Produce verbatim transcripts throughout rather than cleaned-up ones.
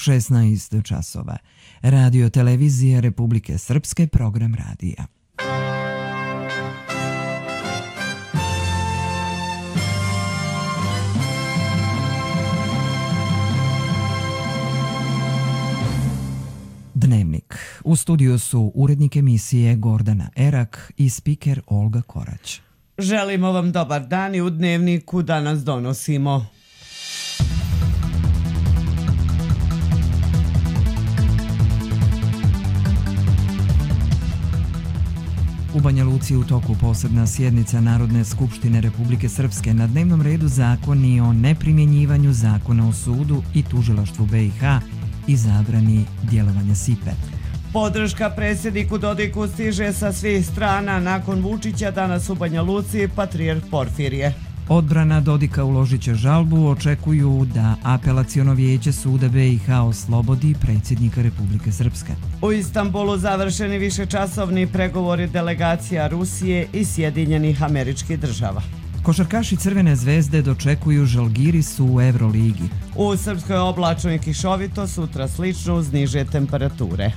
šesnaest časova. Radio televizije Republike Srpske, program radija. Dnevnik. U studiju su urednik emisije Gordana Erak i spiker Olga Korać. Želimo vam dobar dan i u Dnevniku danas donosimo. U Banja Luci u toku posebna sjednica Narodne skupštine Republike Srpske, na dnevnom redu zakoni o neprimjenjivanju zakona o sudu i tužilaštvu B i H i zabrani djelovanja S I P E. Podrška predsjedniku Dodiku stiže sa svih strana. Nakon Vučića danas u Banja Luci patrijarh Porfirije. Odbrana Dodika uložit će žalbu, očekuju da apelaciono vijeće suda B i H oslobodi predsjednika Republike Srpske. U Istanbulu završeni višečasovni pregovori delegacija Rusije i Sjedinjenih Američkih Država. Košarkaši Crvene zvezde dočekuju Žalgiris u Euroligi. U Srpskoj oblačno i kišovito, sutra slično uz niže temperature.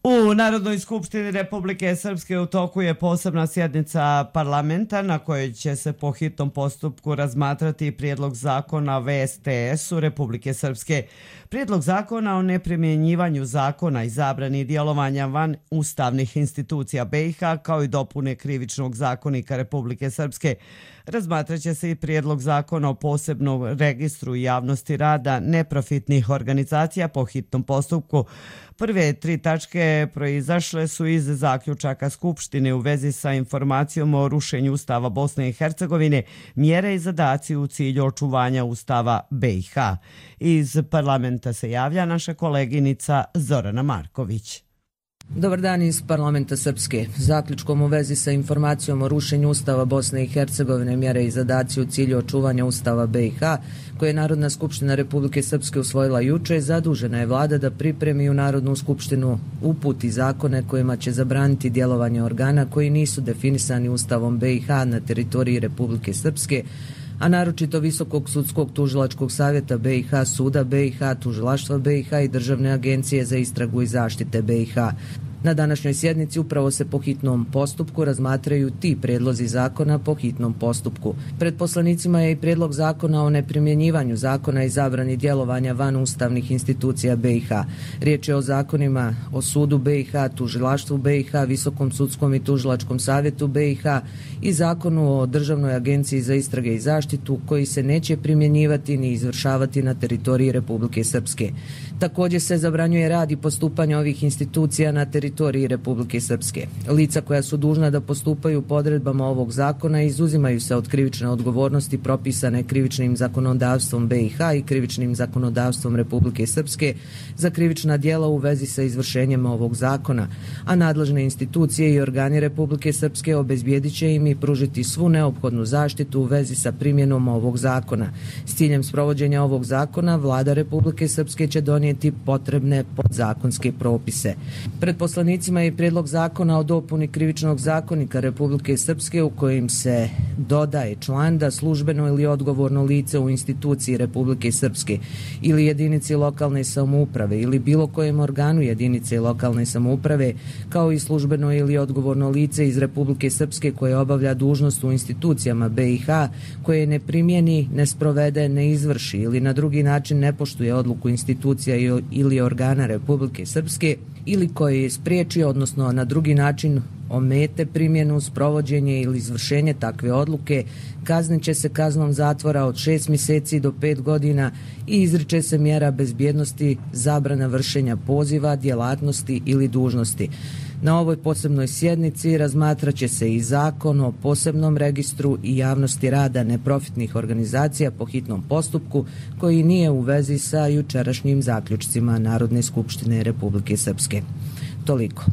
U Narodnoj skupštini Republike Srpske u toku je posebna sjednica parlamenta na kojoj će se po hitnom postupku razmatrati prijedlog zakona V S T S-u Republike Srpske. Prijedlog zakona o neprimjenjivanju zakona i zabrani djelovanja van ustavnih institucija B i H kao i dopune krivičnog zakonika Republike Srpske. Razmatraće se i prijedlog zakona o posebnom registru javnosti rada neprofitnih organizacija po hitnom postupku. Prve tri tačke proizašle su iz zaključaka Skupštine u vezi sa informacijom o rušenju Ustava Bosne i Hercegovine, mjere i zadaci u cilju očuvanja Ustava B i H. Iz parlamenta se javlja naša koleginica Zorana Marković. Dobar dan iz parlamenta Srpske. Zaključkom u vezi sa informacijom o rušenju Ustava Bosne i Hercegovine, mjere i zadaci u cilju očuvanja Ustava B i H, koje je Narodna skupština Republike Srpske usvojila juče, zadužena je vlada da pripremi u Narodnu skupštinu uputi zakone kojima će zabraniti djelovanje organa koji nisu definisani Ustavom B i H na teritoriji Republike Srpske, a naročito Visokog sudskog tužilačkog savjeta B i H, suda B i H, tužilaštva B i H i Državne agencije za istragu i zaštite B i H. Na današnjoj sjednici upravo se po hitnom postupku razmatraju ti prijedlozi zakona po hitnom postupku. Pred poslanicima je i prijedlog zakona o neprimjenjivanju zakona i zabrani djelovanja van ustavnih institucija B i H. Riječ je o zakonima o sudu B i H, tužilaštvu B i H, Visokom sudskom i tužilačkom savjetu B i H i zakonu o Državnoj agenciji za istrage i zaštitu koji se neće primjenjivati ni izvršavati na teritoriji Republike Srpske. Također se zabranjuje rad i postupanje ovih institucija na teritoriji Republike Srpske. Lica koja su dužna da postupaju po odredbama ovog zakona izuzimaju se od krivične odgovornosti propisane krivičnim zakonodavstvom B i H i krivičnim zakonodavstvom Republike Srpske za krivična djela u vezi sa izvršenjem ovog zakona, a nadležne institucije i organi Republike Srpske obezbijedit će im i pružiti svu neophodnu zaštitu u vezi sa primjenom ovog zakona. S ciljem sprovođenja ovog zakona, vlada Republike Srpske će donijeti potrebne podzakonske propise. Pred poslanicima je prijedlog zakona o dopuni krivičnog zakonika Republike Srpske u kojim se dodaje član da službeno ili odgovorno lice u instituciji Republike Srpske ili jedinici lokalne samouprave ili bilo kojem organu jedinice lokalne samouprave, kao i službeno ili odgovorno lice iz Republike Srpske koje obavlja dužnost u institucijama B i H, koje ne primjeni, ne sprovede, ne izvrši ili na drugi način ne poštuje odluku institucija ili organa Republike Srpske ili koje je spriječio, odnosno na drugi način omete primjenu, sprovođenje ili izvršenje takve odluke, kaznit će se kaznom zatvora od šest mjeseci do pet godina i izriče se mjera bezbjednosti, zabrana vršenja poziva, djelatnosti ili dužnosti. Na ovoj posebnoj sjednici razmatrat će se i zakon o posebnom registru i javnosti rada neprofitnih organizacija po hitnom postupku koji nije u vezi sa jučerašnjim zaključcima Narodne skupštine Republike Srpske. Toliko.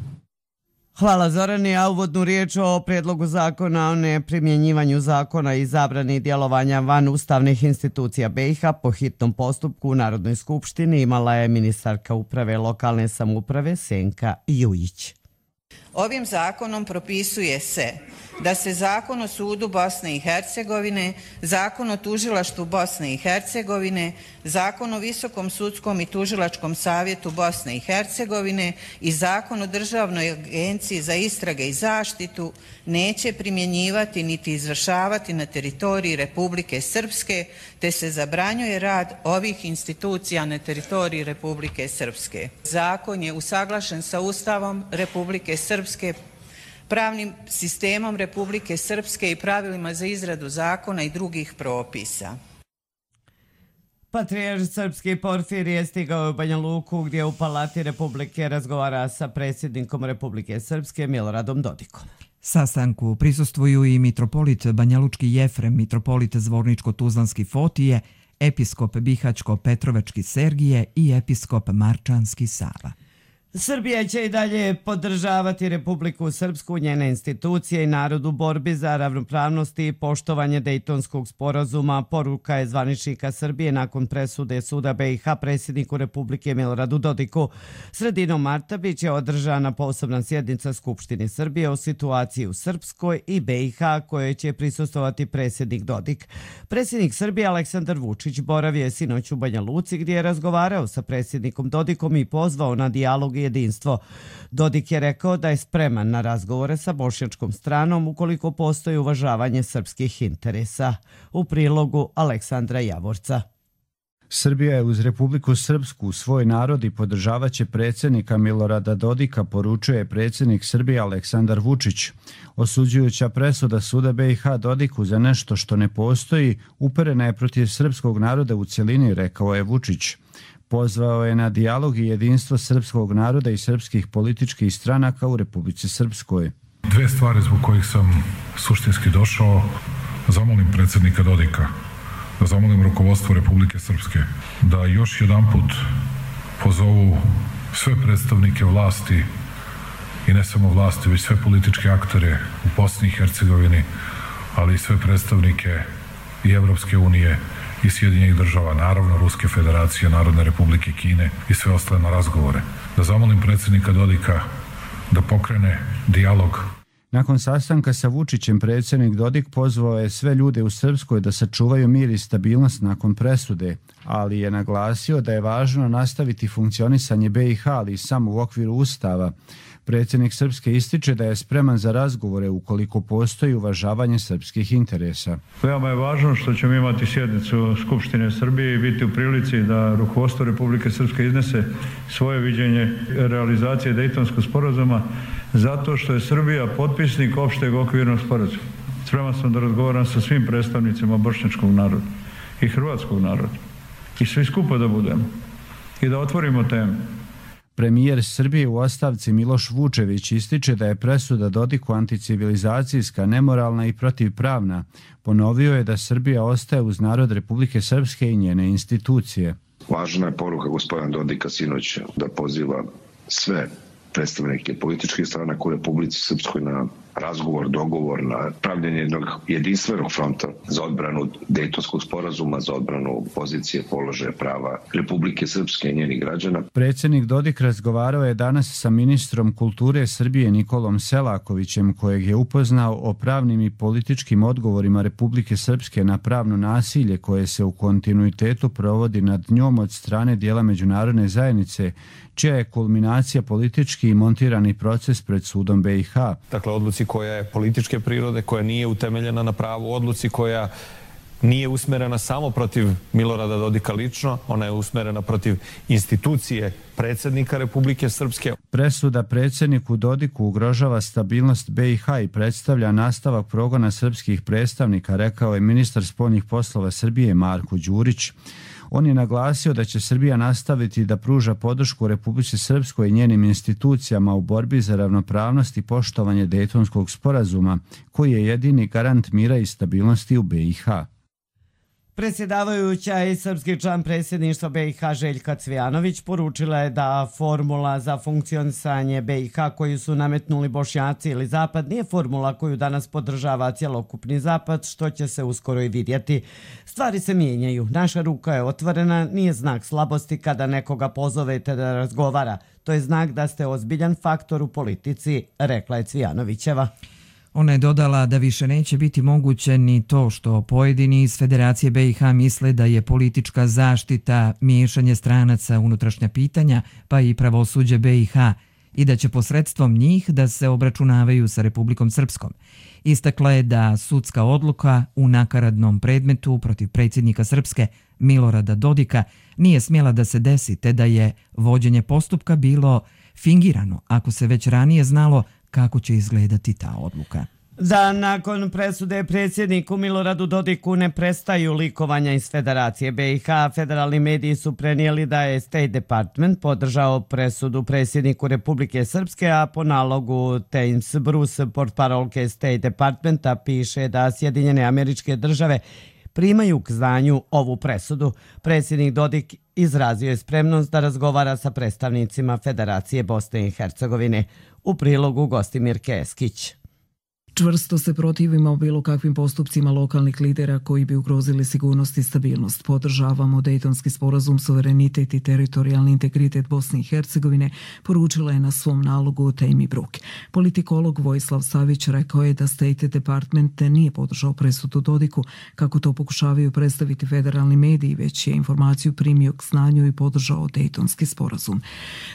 Hvala Zorani, a uvodnu riječ o prijedlogu zakona o neprimjenjivanju zakona i zabrani djelovanja van ustavnih institucija B i H po hitnom postupku u Narodnoj skupštini imala je ministarka uprave lokalne samouprave Senka Jujić. Ovim zakonom propisuje se da se Zakon o sudu Bosne i Hercegovine, Zakon o tužilaštvu Bosne i Hercegovine, Zakon o Visokom sudskom i tužilačkom savjetu Bosne i Hercegovine i Zakon o Državnoj agenciji za istrage i zaštitu neće primjenjivati niti izvršavati na teritoriji Republike Srpske, te se zabranjuje rad ovih institucija na teritoriji Republike Srpske. Zakon je usaglašen sa Ustavom Republike Srpske, pravnim sistemom Republike Srpske i pravilima za izradu zakona i drugih propisa. Patrijarh srpski Porfirije stigao u Banja Luku gdje u Palati Republike razgovara sa predsjednikom Republike Srpske Miloradom Dodikom. Sastanku prisustvuju i mitropolit Banjalučki Jefrem, mitropolit Zvorničko-Tuzlanski Fotije, episkop Bihaćko-Petrovački Sergije i episkop Marčanski Sava. Srbija će i dalje podržavati Republiku Srpsku, njene institucije i narod u borbi za ravnopravnost i poštovanje Dejtonskog sporazuma, poruka je zvaničnika Srbije nakon presude suda B i H predsjedniku Republike Miloradu Dodiku. Sredinom marta bit će održana posebna sjednica Skupštine Srbije o situaciji u Srpskoj i B i H kojoj će prisustvovati predsjednik Dodik. Predsjednik Srbije Aleksandar Vučić boravio je sinoć u Banja Luci gdje je razgovarao sa predsjednikom Dodikom i pozvao na dijalog i jedinstvo. Dodik je rekao da je spreman na razgovore sa bošnjačkom stranom ukoliko postoji uvažavanje srpskih interesa. U prilogu Aleksandra Javorca. Srbija je uz Republiku Srpsku svoj narod i podržavat će predsjednika Milorada Dodika, poručuje predsjednik Srbije Aleksandar Vučić. Osuđujuća presuda suda B i H Dodiku za nešto što ne postoji uperena je protiv srpskog naroda u cjelini, rekao je Vučić. Pozvao je na dijalog i jedinstvo srpskog naroda i srpskih političkih stranaka u Republici Srpskoj. Dve stvari zbog kojih sam suštinski došao, zamolim predsjednika Dodika, da zamolim rukovodstvo Republike Srpske, da još jedanput pozovu sve predstavnike vlasti i ne samo vlasti, već sve političke aktere u Bosni i Hercegovini, ali i sve predstavnike i Evropske unije i Sjedinjenih država, naravno Ruske federacije, Narodne republike Kine i sve ostale na razgovore. Da zamolim predsjednika Dodika da pokrene dijalog. Nakon sastanka sa Vučićem predsjednik Dodik pozvao je sve ljude u Srpskoj da sačuvaju mir i stabilnost nakon presude, ali je naglasio da je važno nastaviti funkcionisanje B i H, ali samo u okviru Ustava. Predsjednik Srpske ističe da je spreman za razgovore ukoliko postoji uvažavanje srpskih interesa. Veoma je važno što ćemo imati sjednicu Skupštine Srbije i biti u prilici da rukovodstvo Republike Srpske iznese svoje viđenje realizacije Dejtonskog sporazuma, zato što je Srbija potpisnik opšteg okvirnog sporazuma. Spreman sam da razgovaram sa svim predstavnicima bošnjačkog naroda i hrvatskog naroda i svi skupa da budemo i da otvorimo temu. Premijer Srbije u ostavci Miloš Vučević ističe da je presuda Dodiku anticivilizacijska, nemoralna i protivpravna. Ponovio je da Srbija ostaje uz narod Republike Srpske i njene institucije. Važna je poruka gospodina Dodika sinoć da poziva sve predstavnike političkih stranaka u Republici Srpskoj na razgovor, dogovor, na pravljenje jednog jedinstvenog fronta za odbranu Dejtonskog sporazuma, za odbranu pozicije, položaja, prava Republike Srpske i njenih građana. Predsjednik Dodik razgovarao je danas sa ministrom kulture Srbije Nikolom Selakovićem, kojeg je upoznao o pravnim i političkim odgovorima Republike Srpske na pravno nasilje koje se u kontinuitetu provodi nad njom od strane dijela međunarodne zajednice, čija je kulminacija politički i montirani proces pred sudom B i H. Dakle, odluci koja je političke prirode, koja nije utemeljena na pravu, odluci koja nije usmerena samo protiv Milorada Dodika lično, ona je usmerena protiv institucije predsjednika Republike Srpske. Presuda predsjedniku Dodiku ugrožava stabilnost B i H i predstavlja nastavak progona srpskih predstavnika, rekao je ministar spoljnih poslova Srbije Marko Đurić. On je naglasio da će Srbija nastaviti da pruža podršku Republici Srpskoj i njenim institucijama u borbi za ravnopravnost i poštovanje Dejtonskog sporazuma, koji je jedini garant mira i stabilnosti u B i H. Predsjedavajuća i srpski član predsjedništva B i H Željka Cvijanović poručila je da formula za funkcionisanje B i H koju su nametnuli Bošnjaci ili Zapad nije formula koju danas podržava cjelokupni Zapad, što će se uskoro i vidjeti. Stvari se mijenjaju, naša ruka je otvorena, nije znak slabosti kada nekoga pozovete da razgovara. To je znak da ste ozbiljan faktor u politici, rekla je Cvijanovićeva. Ona je dodala da više neće biti moguće ni to što pojedini iz Federacije B i H misle da je politička zaštita miješanje stranaca u unutrašnja pitanja, pa i pravosuđe B i H, i da će posredstvom njih da se obračunavaju sa Republikom Srpskom. Istakla je da sudska odluka u nakaradnom predmetu protiv predsjednika Srpske Milorada Dodika nije smjela da se desi, te da je vođenje postupka bilo fingirano, ako se već ranije znalo kako će izgledati ta odluka. Dan nakon presude predsjedniku Miloradu Dodiku ne prestaju likovanja iz Federacije B i H. Federalni mediji su prenijeli da je State Department podržao presudu predsjedniku Republike Srpske, a po nalogu Thames Bruce, portparolke State Departmenta, piše da Sjedinjene Američke Države primaju k znanju ovu presudu. Predsjednik Dodik izrazio je spremnost da razgovara sa predstavnicima Federacije Bosne i Hercegovine. U prilogu Gostimir Keskić. Čvrsto se protivimo bilo kakvim postupcima lokalnih lidera koji bi ugrozili sigurnost i stabilnost. Podržavamo Dejtonski sporazum, suverenitet i teritorijalni integritet Bosne i Hercegovine, poručila je na svom nalogu Temi Bruk. Politikolog Vojislav Savić rekao je da State Department nije podržao presudu Dodiku, kako to pokušavaju predstaviti federalni mediji, već je informaciju primio k znanju i podržao Dejtonski sporazum.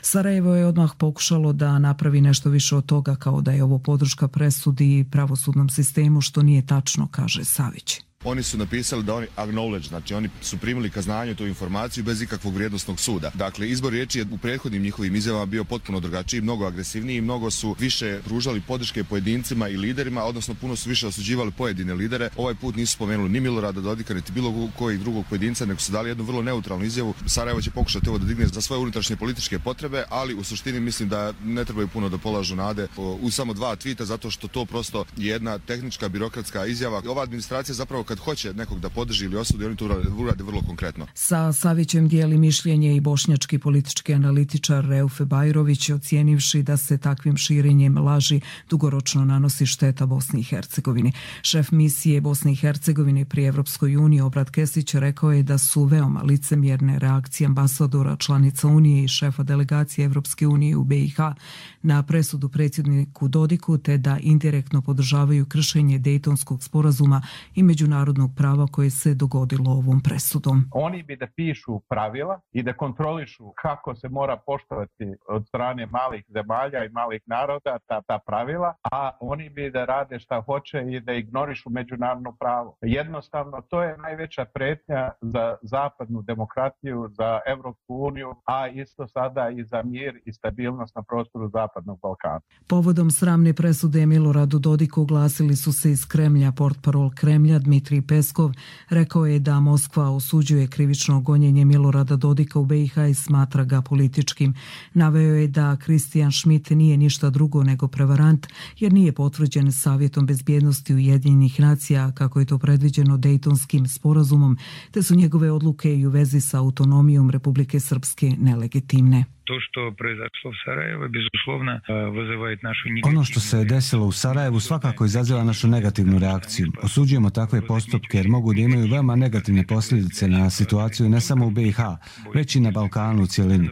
Sarajevo je odmah pokušalo da napravi nešto više od toga, kao da je ovo podrška presudi pravosudnom sistemu, što nije tačno, kaže Savić. Oni su napisali da oni acknowledge, znači oni su primili ka znanju tu informaciju bez ikakvog vrijednosnog suda. Dakle, izbor riječi je u prethodnim njihovim izjavama bio potpuno drugačiji, mnogo agresivniji, mnogo su više pružali podrške pojedincima i liderima, odnosno puno su više osuđivali pojedine lidere. Ovaj put nisu spomenuli ni Milorada Dodika, niti bilo kojeg drugog pojedinca, nego su dali jednu vrlo neutralnu izjavu. Sarajevo će pokušati ovo da digne za svoje unutrašnje političke potrebe, ali u suštini mislim da ne trebaju puno da polažu nade u samo dva tvita, zato što to prosto je jedna tehnička birokratska izjava. Ova administracija zapravo kad hoće nekog da podrži ili osudi, oni to urade vrlo konkretno. Sa Savićem dijeli mišljenje i bošnjački politički analitičar Reufe Bajrović, ocijenivši da se takvim širenjem laži dugoročno nanosi šteta Bosni i Hercegovini. Šef misije Bosne i Hercegovine pri Evropskoj uniji Obrat Kesić rekao je da su veoma licemjerne reakcije ambasadora članica Unije i šefa delegacije Evropske unije u B i H na presudu predsjedniku Dodiku, te da indirektno podržavaju kršenje Dejtonskog sporazuma i međunarodnog prava koje se dogodilo ovom presudom. Oni bi da pišu pravila i da kontrolišu kako se mora poštovati od strane malih zemalja i malih naroda ta, ta pravila, a oni bi da rade šta hoće i da ignorišu međunarodno pravo. Jednostavno, to je najveća pretnja za zapadnu demokratiju, za Evropsku uniju, a isto sada i za mir i stabilnost na prostoru Zapadnog Balkana. Povodom sramne presude Miloradu Dodiku oglasili su se iz Kremlja. Portparol Kremlja Dmitrij Peskov rekao je da Moskva osuđuje krivično gonjenje Milorada Dodika u B i H i smatra ga političkim. Naveo je da Christian Schmidt nije ništa drugo nego prevarant, jer nije potvrđen Savjetom bezbjednosti Ujedinjenih nacija, kako je to predviđeno Dejtonskim sporazumom, te su njegove odluke i u vezi sa autonomijom Republike Srpske nelegitimne. To što proizašlo u Sarajevu, bezuslovno, vызывает našu negativnu... Ono što se desilo u Sarajevu svakako izaziva našu negativnu reakciju. Osuđujemo takve postupke jer mogu da imaju veoma negativne posljedice na situaciju ne samo u B i H, već i na Balkanu u cjelini.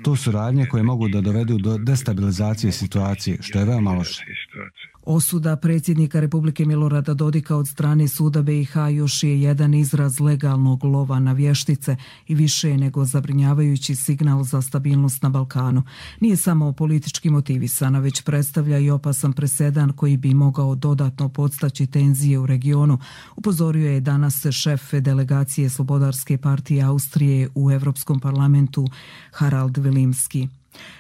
To su radnje koje mogu da dovedu do destabilizacije situacije, što je veoma loše. Osuda predsjednika Republike Milorada Dodika od strane suda B i H još je jedan izraz legalnog lova na vještice i više nego zabrinjavajući signal za stabilnost na Balkanu. Nije samo politički motivisana, već predstavlja i opasan presedan koji bi mogao dodatno podstaći tenzije u regionu, upozorio je danas šef delegacije Slobodarske partije Austrije u Evropskom parlamentu Harald Vilimski.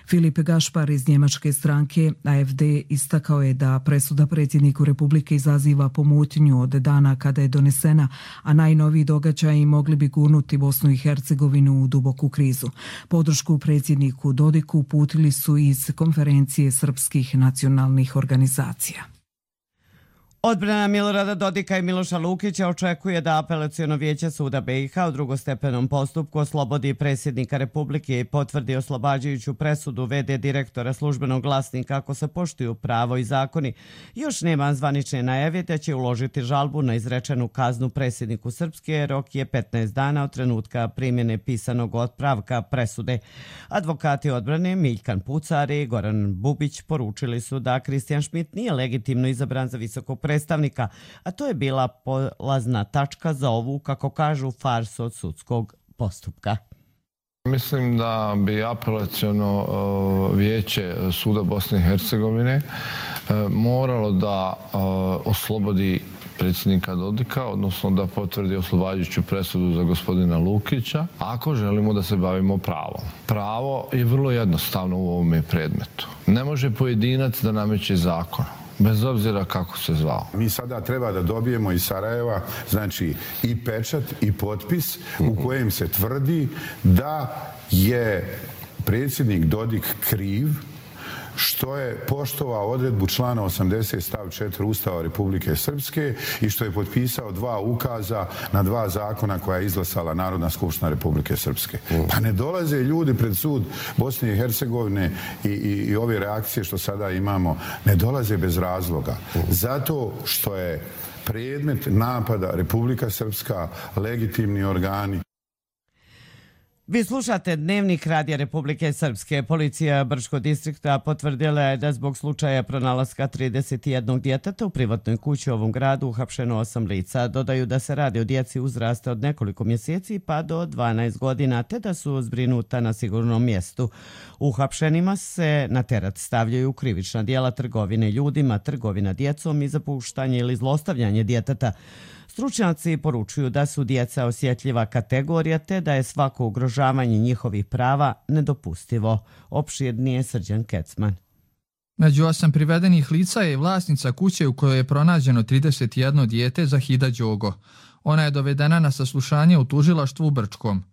Filip Gašpar iz njemačke stranke A F D istakao je da presuda predsjedniku Republike izaziva pomutnju od dana kada je donesena, a najnoviji događaji mogli bi gurnuti Bosnu i Hercegovinu u duboku krizu. Podršku predsjedniku Dodiku uputili su iz konferencije srpskih nacionalnih organizacija. Odbrana Milorada Dodika i Miloša Lukića očekuje da apelaciono vijeće suda B i H u drugostepenom postupku oslobodi predsjednika Republike i potvrdi oslobađajuću presudu v d direktora Službenog glasnika ako se poštuju pravo i zakoni. Još nema zvanične najave da će uložiti žalbu na izrečenu kaznu predsjedniku Srpske. Rok je petnaest dana od trenutka primjene pisanog otpravka presude. Advokati odbrane Miljkan Pucar i Goran Bubić poručili su da Kristijan Šmit nije legitimno izabran za visokog predstavnika, a to je bila polazna tačka za ovu, kako kažu, farsu od sudskog postupka. Mislim da bi apelaciono vijeće suda Bosne i Hercegovine moralo da oslobodi predsjednika Dodika, odnosno da potvrdi oslobađajuću presudu za gospodina Lukića, ako želimo da se bavimo pravom. Pravo je vrlo jednostavno u ovome predmetu. Ne može pojedinac da nameće zakon, bez obzira kako se zvao. Mi sada treba da dobijemo iz Sarajeva, znači, i pečat i potpis u kojem se tvrdi da je predsjednik Dodik kriv što je poštovao odredbu člana osamdeset stav četiri Ustava Republike Srpske i što je potpisao dva ukaza na dva zakona koja je izglasala Narodna skupština Republike Srpske. Pa ne dolaze ljudi pred sud Bosne i Hercegovine i, i, i ove reakcije što sada imamo, ne dolaze bez razloga. Zato što je predmet napada Republika Srpska, legitimni organi. Vi slušate Dnevnik Radija Republike Srpske. Policija Brčkog distrikta potvrdila je da zbog slučaja pronalaska trideset jednog djeteta u privatnoj kući u ovom gradu uhapšeno osam lica. Dodaju da se radi o djeci uzrasta od nekoliko mjeseci pa do dvanaest godina, te da su zbrinuta na sigurnom mjestu. Uhapšenima se na teret stavljaju krivična djela trgovine ljudima, trgovina djecom i zapuštanje ili zlostavljanje djeteta. Stručnjaci poručuju da su djeca osjetljiva kategorija te da je svako ugrožavanje njihovih prava nedopustivo. Opširnije Srđan Kecman. Među osam privedenih lica je vlasnica kuće u kojoj je pronađeno trideset jedno dijete Zahida Đogo. Ona je dovedena na saslušanje u tužilaštvu u Brčkom.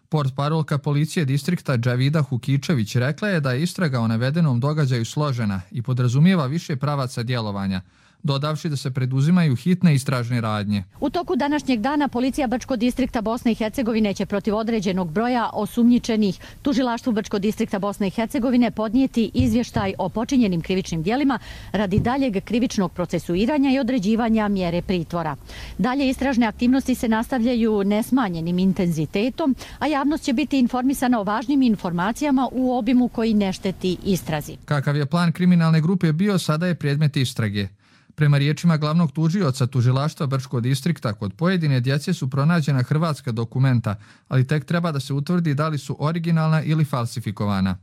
Portparolka policije distrikta Džavida Hukičević rekla je da je istraga o navedenom događaju složena i podrazumijeva više pravaca djelovanja, dodavši da se preduzimaju hitne istražne radnje. U toku današnjeg dana policija Brčkog distrikta Bosne i Hercegovine će protiv određenog broja osumnjičenih tužilaštvu Brčkog distrikta Bosne i Hercegovine podnijeti izvještaj o počinjenim krivičnim djelima radi daljeg krivičnog procesuiranja i određivanja mjere pritvora. Dalje istražne aktivnosti se nastavljaju nesmanjenim intenzitetom, a javnost će biti informisana o važnim informacijama u obimu koji ne šteti istrazi. Kakav je plan kriminalne grupe bio, sada je predmet istrage. Prema riječima glavnog tužioca tužilaštva Brčkog distrikta, kod pojedine djece su pronađena hrvatska dokumenta, ali tek treba da se utvrdi da li su originalna ili falsifikovana.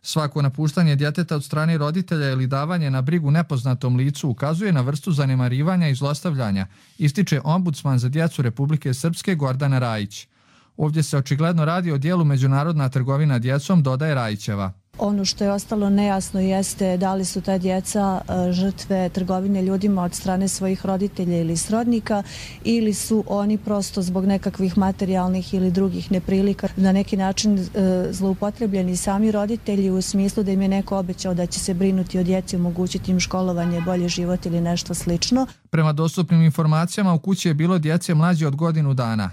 Svako napuštanje djeteta od strane roditelja ili davanje na brigu nepoznatom licu ukazuje na vrstu zanemarivanja i zlostavljanja, ističe ombudsman za djecu Republike Srpske Gordana Rajić. Ovdje se očigledno radi o dijelu međunarodna trgovina djecom, dodaje Rajićeva. Ono što je ostalo nejasno jeste da li su ta djeca žrtve trgovine ljudima od strane svojih roditelja ili srodnika ili su oni prosto zbog nekakvih materijalnih ili drugih neprilika na neki način zloupotrebljeni sami roditelji u smislu da im je neko obećao da će se brinuti o djeci, omogućiti im školovanje, bolji život ili nešto slično. Prema dostupnim informacijama u kući je bilo djece mlađe od godinu dana.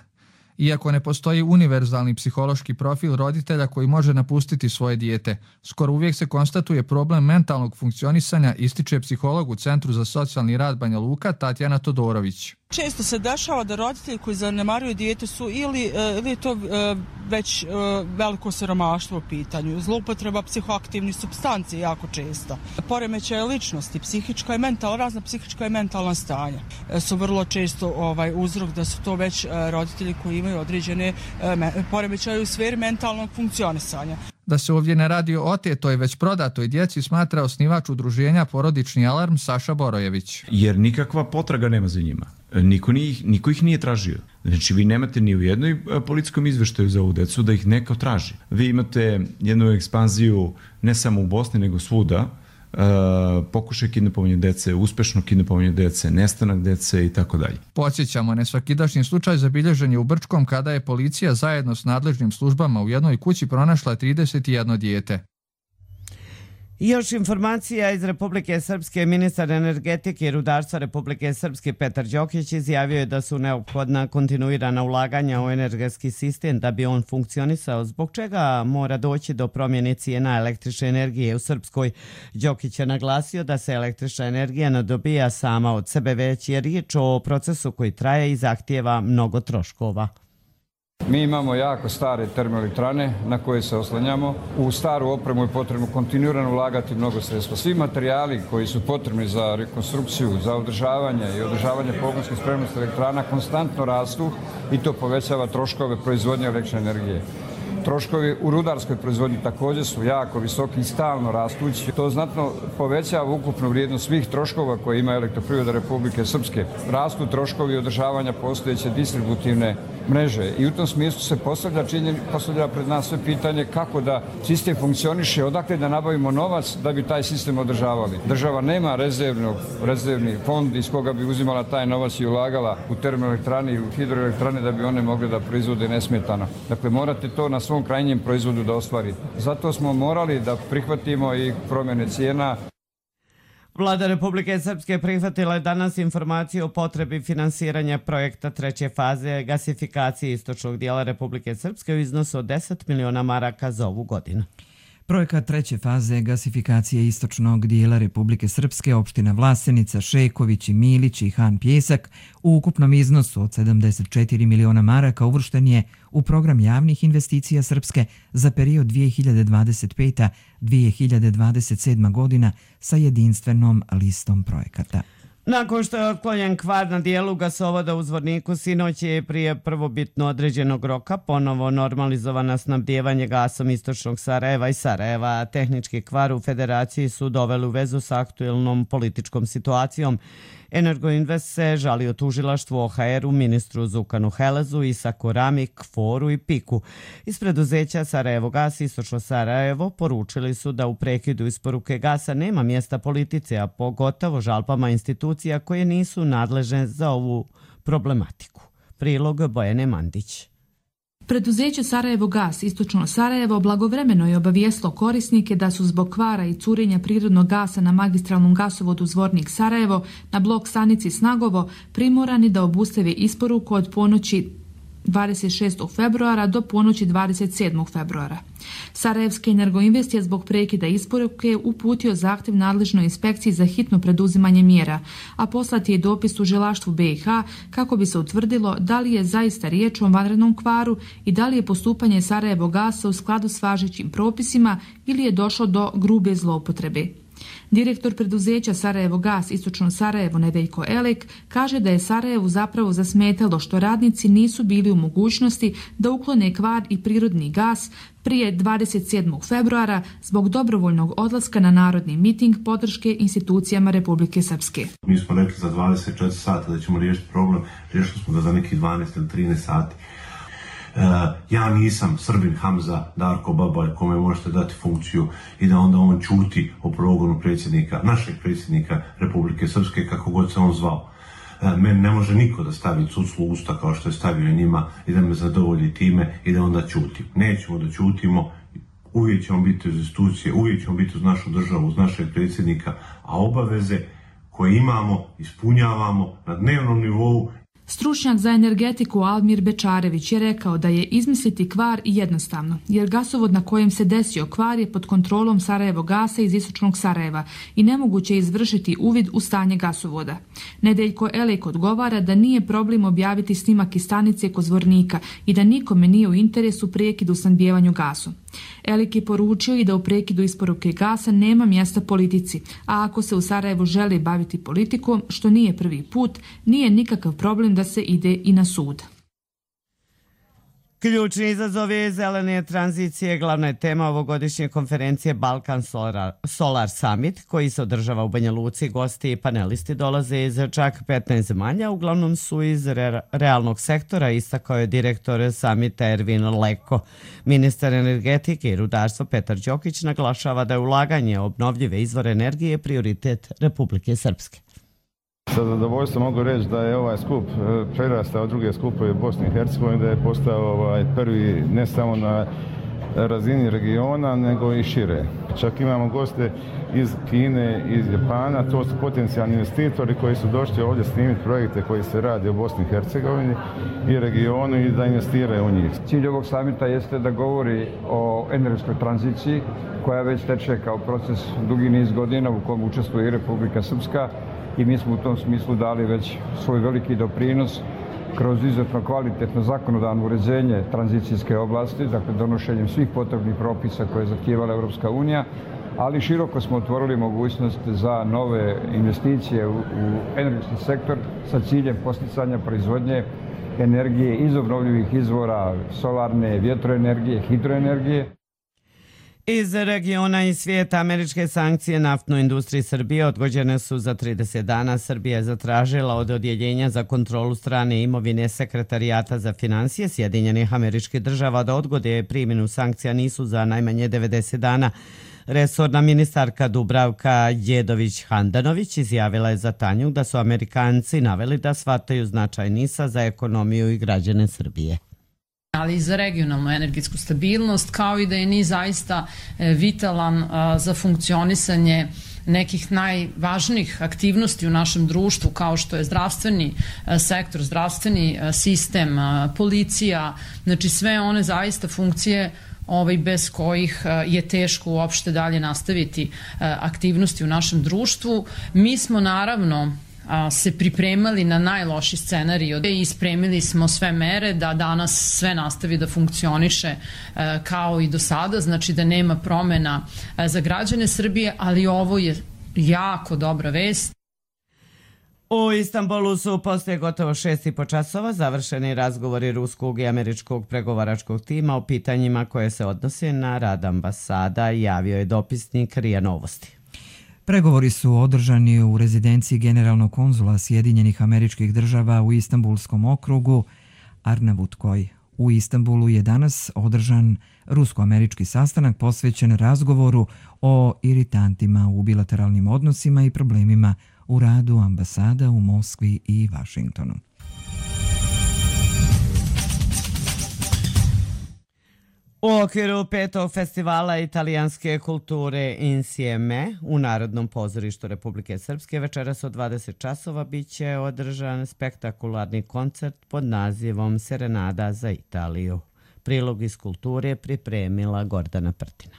Iako ne postoji univerzalni psihološki profil roditelja koji može napustiti svoje dijete, skoro uvijek se konstatuje problem mentalnog funkcionisanja, ističe psiholog u Centru za socijalni rad Banja Luka Tatjana Todorović. Često se dešava da roditelji koji zanemaruju dijete su ili, ili je to već veliko siromaštvo u pitanju, zloupotreba psihoaktivnih supstanci jako često. Poremećaje ličnosti, psihička i mentalna, razna psihička i mentalna stanja su vrlo često ovaj, uzrok da su to već roditelji koji imaju određene poremećaje u sferi mentalnog funkcionisanja. Da se ovdje ne radi o otetoj, već prodatoj djeci, smatra osnivač udruženja Porodični alarm Saša Borojević. Jer nikakva potraga nema za njima. Niko, njih, niko ih nije tražio. Znači vi nemate ni u jednoj policijskom izveštaju za ovu decu da ih neko traži. Vi imate jednu ekspanziju ne samo u Bosni nego svuda, Uh, pokušaj kidnapovanja dece, uspešno kidnapovanje dece, nestanak dece i tako dalje. Podsjećamo, nesvakidašnji slučaj zabilježen je u Brčkom kada je policija zajedno s nadležnim službama u jednoj kući pronašla trideset jedno dijete. Još informacija iz Republike Srpske. Ministar energetike i rudarstva Republike Srpske Petar Đokić izjavio je da su neophodna kontinuirana ulaganja u energetski sistem da bi on funkcionisao, zbog čega mora doći do promjene cijena električne energije u Srpskoj. Đokić je naglasio da se električna energija ne dobija sama od sebe, već je riječ o procesu koji traje i zahtijeva mnogo troškova. Mi imamo jako stare termoelektrane na koje se oslanjamo. U staru opremu je potrebno kontinuirano ulagati mnogo sredstva. Svi materijali koji su potrebni za rekonstrukciju, za održavanje i održavanje pogonske spremnosti elektrana konstantno rastu i to povećava troškove proizvodnje električne energije. Troškovi u rudarskoj proizvodnji također su jako visoki i stalno rastući. To znatno povećava ukupnu vrijednost svih troškova koje ima Elektroprivreda Republike Srpske. Rastu troškovi održavanja postojeće distributivne mreže i u tom smislu se postavlja, činjen, postavlja pred nas sve pitanje kako da sistem funkcioniše, odakle da nabavimo novac da bi taj sistem održavali. Država nema rezervnog, rezervni fond iz koga bi uzimala taj novac i ulagala u termoelektrane i u hidroelektrane da bi one mogle da proizvode nesmetano. Dakle, morate to na svom krajnjem proizvodu da ostvarite. Zato smo morali da prihvatimo i promjene cijena. Vlada Republike Srpske prihvatila je danas informaciju o potrebi finansiranja projekta treće faze gasifikacije istočnog dijela Republike Srpske u iznosu od deset miliona maraka za ovu godinu. Projekat treće faze gasifikacije istočnog dijela Republike Srpske, opština Vlasenica, Šeković i Milić i Han Pjesak u ukupnom iznosu od sedamdeset četiri miliona maraka uvršten je u program javnih investicija Srpske za period dvije hiljade dvadeset peta do dvije hiljade dvadeset sedma godina sa jedinstvenom listom projekata. Nakon što je otklonjen kvar na dijelu gasovoda u Zvorniku, sinoć je prije prvobitno određenog roka ponovo normalizovana snabdijevanje gasom istočnog Sarajeva i Sarajeva. Tehnički kvar u Federaciji su doveli u vezu sa aktuelnom političkom situacijom. Energoinvest se žalio tužilaštvu O H R-u, ministru Zukanu Helezu, Isaku Ramik, Foru i Piku. Iz preduzeća Sarajevo Gas istočno Sarajevo poručili su da u prekidu isporuke gasa nema mjesta politici, a pogotovo žalbama institucija koje nisu nadležne za ovu problematiku. Prilog Bojane Mandić. Preduzeće Sarajevo Gas istočno Sarajevo blagovremeno je obavijestilo korisnike da su zbog kvara i curenja prirodnog gasa na magistralnom gasovodu Zvornik Sarajevo na blok stanici Snagovo primorani da obustave isporuku od ponoći dvadeset šestog februara do ponoći dvadeset sedmog februara. Sarajevski Energoinvest je zbog prekida isporuke uputio zahtjev nadležnoj inspekciji za hitno preduzimanje mjera, a poslati je dopis tužilaštvu B i H kako bi se utvrdilo da li je zaista riječ o vanrednom kvaru i da li je postupanje Sarajevo Gasa u skladu s važećim propisima ili je došlo do grube zloupotrebe. Direktor preduzeća Sarajevo Gas istočno Sarajevo Nedeljko Elek kaže da je Sarajevu zapravo zasmetalo što radnici nisu bili u mogućnosti da uklone kvar i prirodni gas prije dvadeset sedmog februara zbog dobrovoljnog odlaska na narodni miting podrške institucijama Republike Srpske. Mi smo rekli za dvadeset četiri sata da ćemo riješiti problem, riješili smo ga za nekih dvanaest ili trinaest sati. Uh, ja nisam Srbin Hamza Darko Babaj kome možete dati funkciju i da onda on čuti o progonu predsjednika, našeg predsjednika Republike Srpske, kako god se on zvao. Uh, meni ne može niko da stavi cuclu u usta kao što je stavio njima i da me zadovolji time i da onda čutim. Nećemo da čutimo, uvijek ćemo biti uz institucije, uvijek ćemo biti uz našu državu, uz našeg predsjednika, a obaveze koje imamo ispunjavamo na dnevnom nivou. Stručnjak za energetiku Almir Bečarević je rekao da je izmisliti kvar jednostavno, jer gasovod na kojem se desio kvar je pod kontrolom Sarajevo Gasa iz istočnog Sarajeva i nemoguće je izvršiti uvid u stanje gasovoda. Nedeljko Elek odgovara da nije problem objaviti snimak iz stanice kod Zvornika i da nikome nije u interesu prekid u snabdijevanju gasom. Elek je poručio i da u prekidu isporuke gasa nema mjesta politici, a ako se u Sarajevu želi baviti politikom, što nije prvi put, nije nikakav problem da se ide i na sud. Ključni izazovi zelene tranzicije glavna je tema ovogodišnje konferencije Balkan Solar, Solar Summit, koji se održava u Banja Luci. Gosti i panelisti dolaze iz čak petnaest zemalja, uglavnom su iz re, realnog sektora, istakao je direktor Summita Ervin Leko. Ministar energetike i rudarstva Petar Đokić naglašava da je ulaganje obnovljive izvore energije prioritet Republike Srpske. Sa zadovoljstvom mogu reći da je ovaj skup prerastao druge skupove Bosne i Hercegovine, da je postao ovaj prvi ne samo na razini regiona nego i šire. Čak imamo goste iz Kine, iz Japana, to su potencijalni investitori koji su došli ovdje snimiti projekte koji se radi u Bosni i Hercegovini i regionu i da investiraju u njih. Cilj ovog samita jeste da govori o energetskoj tranziciji koja već teče kao proces dugi niz godina u kojem učestvuje i Republika Srpska i mi smo u tom smislu dali već svoj veliki doprinos kroz izuzetno kvalitetno zakonodavno uređenje tranzicijske oblasti, dakle donošenjem svih potrebnih propisa koje je zahtijevala Europska unija, ali široko smo otvorili mogućnost za nove investicije u, u energetski sektor sa ciljem posticanja proizvodnje energije iz obnovljivih izvora, solarne, vjetroenergije, hidroenergije. Iz regiona i svijeta američke sankcije naftnoj industriji Srbije odgođene su za trideset dana. Srbija je zatražila od Odjeljenja za kontrolu strane imovine Sekretarijata za financije Sjedinjenih Američkih Država da odgode primjenu sankcija nisu za najmanje devedeset dana. Resorna ministarka Dubravka Đedović-Handanović izjavila je za Tanjug da su Amerikanci naveli da shvataju značaj NIS-a za ekonomiju i građane Srbije. Ali i za regionalnu energetsku stabilnost, kao i da je NIS zaista vitalan za funkcionisanje nekih najvažnijih aktivnosti u našem društvu, kao što je zdravstveni sektor, zdravstveni sistem, policija, znači sve one zaista funkcije ovaj, bez kojih je teško uopšte dalje nastaviti aktivnosti u našem društvu. Mi smo naravno se pripremali na najloši scenarij i spremili smo sve mere da danas sve nastavi da funkcioniše kao i do sada, znači da nema promena za građane Srbije, ali ovo je jako dobra vest. U Istanbulu su poslije gotovo šest i po časova završeni razgovori ruskog i američkog pregovaračkog tima o pitanjima koje se odnose na rad ambasada, javio je dopisnik RIA Novosti. Pregovori su održani u rezidenciji generalnog konzula Sjedinjenih Američkih Država u Istanbulskom okrugu Arnavutkoj. U Istanbulu je danas održan rusko-američki sastanak posvećen razgovoru o iritantima u bilateralnim odnosima i problemima u radu ambasada u Moskvi i Vašingtonu. U okviru petog festivala italijanske kulture Insieme u Narodnom pozorištu Republike Srpske večeras od dvadeset časova bit će održan spektakularni koncert pod nazivom Serenada za Italiju. Prilog iz kulture pripremila Gordana Prtina.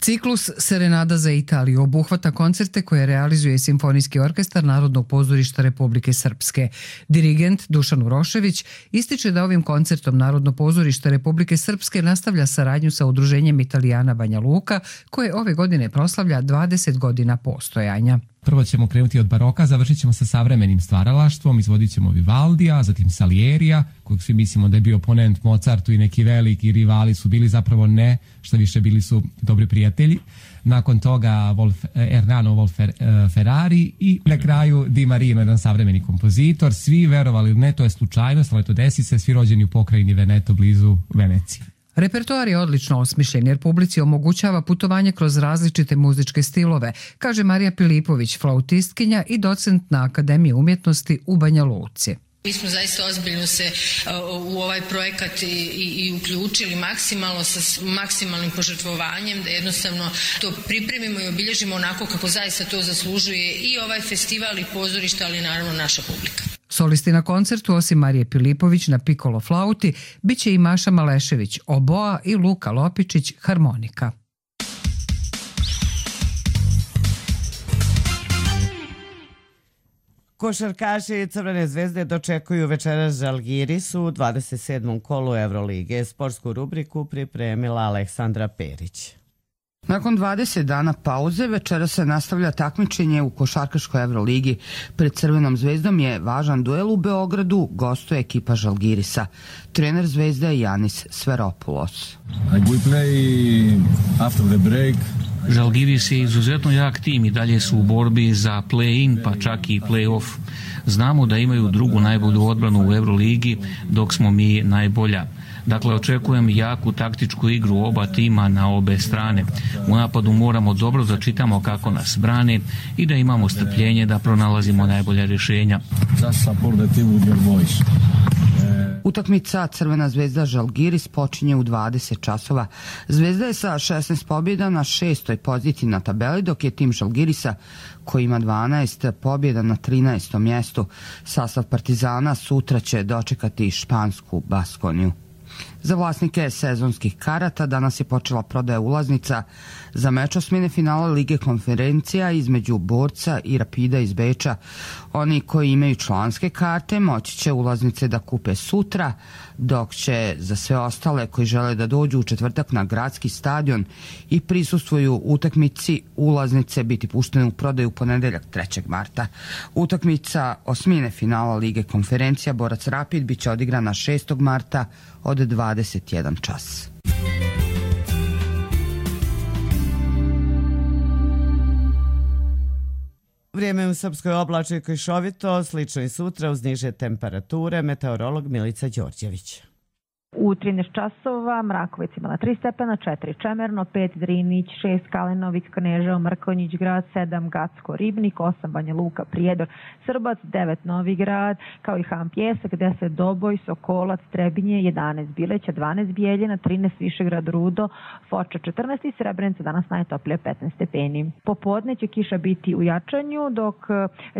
Ciklus Serenada za Italiju obuhvata koncerte koje realizuje Simfonijski orkestar Narodnog pozorišta Republike Srpske. Dirigent Dušan Urošević ističe da ovim koncertom Narodno pozorište Republike Srpske nastavlja saradnju sa udruženjem Italijana Banja Luka, koje ove godine proslavlja dvadeset godina postojanja. Prvo ćemo krenuti od baroka, završit ćemo sa savremenim stvaralaštvom, izvodit ćemo Vivaldija, zatim Salierija, kojeg svi mislimo da je bio oponent Mozartu i neki veliki rivali su bili, zapravo ne, što više bili su dobri prijatelji. Nakon toga Wolf, Ernano Wolf Ferrari i na kraju Di Marino, jedan savremeni kompozitor. Svi, verovali ili ne, to je slučajnost, ali to desi se, svi rođeni u pokrajini Veneto blizu Venecije. Repertoar je odlično osmišljen jer publici omogućava putovanje kroz različite muzičke stilove, kaže Marija Pilipović, flautistkinja i docent na Akademiji umjetnosti u Banja Luci. Mi smo zaista ozbiljno se u ovaj projekat i, i, i uključili maksimalno sa maksimalnim požrtvovanjem da jednostavno to pripremimo i obilježimo onako kako zaista to zaslužuje i ovaj festival i pozorište, ali naravno naša publika. Solisti na koncertu, osim Marije Pilipović na pikolo flauti, bit će i Maša Malešević, oboa i Luka Lopičić, harmonika. Košarkaši Crvene zvezde dočekuju večeras Žalgiris u dvadeset sedmom kolu Evrolige. Sportsku rubriku pripremila Aleksandra Perić. Nakon dvadeset dana pauze večera se nastavlja takmičenje u košarkaškoj Evroligi. Pred Crvenom zvezdom je važan duel u Beogradu, gostuje ekipa Žalgirisa. Trener Zvezde je Janis Sveropoulos. Žalgiris je izuzetno jak tim i dalje su u borbi za play-in pa čak i play-off. Znamo da imaju drugu najbolju odbranu u Evroligi dok smo mi najbolja. Dakle, očekujem jaku taktičku igru oba tima na obe strane. U napadu moramo dobro da čitamo kako nas brane i da imamo strpljenje da pronalazimo najbolja rješenja. U Utakmica Crvena zvezda Žalgiris počinje u dvadeset časova. Zvezda je sa šesnaest pobjeda na šestoj poziciji na tabeli, dok je tim Žalgirisa, koji ima dvanaest pobjeda, na trinaestom mjestu. Sastav Partizana sutra će dočekati špansku Baskoniju. Za vlasnike sezonskih karata danas je počela prodaja ulaznica za meč osmine finala Lige konferencija između Borca i Rapida iz Beča. Oni koji imaju članske karte moći će ulaznice da kupe sutra, dok će za sve ostale koji žele da dođu u četvrtak na gradski stadion i prisustvuju utakmici ulaznice biti puštene u prodaju u ponedeljak trećeg marta. Utakmica osmine finala Lige konferencija Borac Rapid biće odigrana šestog marta od dvadeset jedan čas. Vrijeme u Srpskoj oblačno i kišovito, slično i sutra uz niže temperature, meteorolog Milica Đorđević. U trinaest časova Mrakovic imala tri stepena, četiri Čemerno, pet Drinić, šest Kalenović, Kneževo, Mrkonjić grad, sedam Gacko Ribnik, osam Banja Luka, Prijedor, Srbac, devet Novi Grad, kao i Han Pjesak, deset Doboj, Sokolac, Trebinje, jedanaest Bileća, dvanaest Bijeljina, trinaest Višegrad Rudo, Foča četrnaest i Srebrenica danas najtoplije petnaest stepeni. Popodne će kiša biti u jačanju, dok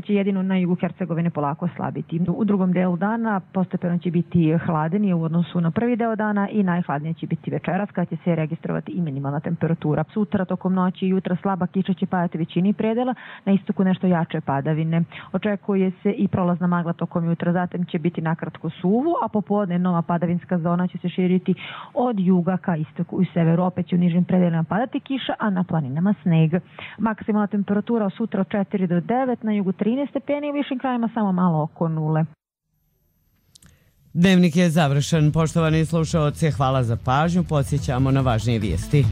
će jedino na jugu Hercegovine polako slabiti. U drugom delu dana postepeno će biti hladenije u odnosu na prvi deo dana i najhladnije će biti večeras kada će se registrovati i minimalna temperatura. Sutra tokom noći i jutra slaba kiša će padati većini predela, na istoku nešto jače padavine. Očekuje se i prolazna magla tokom jutra, zatim će biti nakratko suvo, a popodne nova padavinska zona će se širiti od juga ka istoku i severu. Opet će u nižim predelima padati kiša, a na planinama sneg. Maksimalna temperatura sutra od četiri do devet, na jugu trinaest stepeni, u višim krajima samo malo oko nule. Dnevnik je završen. Poštovani slušaoci, hvala za pažnju. Podsjećamo na važnije vijesti.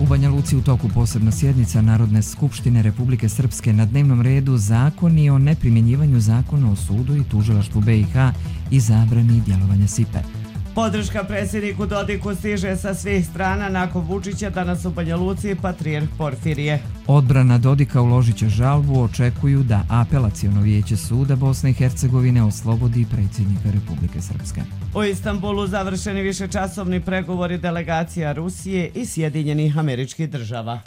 U Banja Luci u toku posebna sjednica Narodne skupštine Republike Srpske, na dnevnom redu zakoni o neprimjenjivanju zakona o sudu i tužilaštvu B i H i zabrani djelovanja S I P E. Podrška predsjedniku Dodiku stiže sa svih strana. Nakon Vučića danas u Banja Luci patrijarh Porfirije. Odbrana Dodika uložit će žalbu, očekuju da apelaciono vijeće suda Bosne i Hercegovine oslobodi predsjednika Republike Srpske. U Istanbulu završeni višečasovni pregovori delegacija Rusije i Sjedinjenih Američkih Država.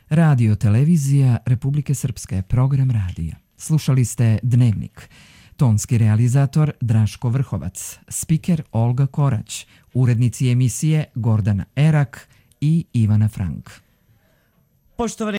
Radio televizija Republike Srpske, program radija. Slušali ste Dnevnik. Tonski realizator Draško Vrhovac, spiker Olga Korać, urednici emisije Gordana Erak i Ivana Frank. Poštovani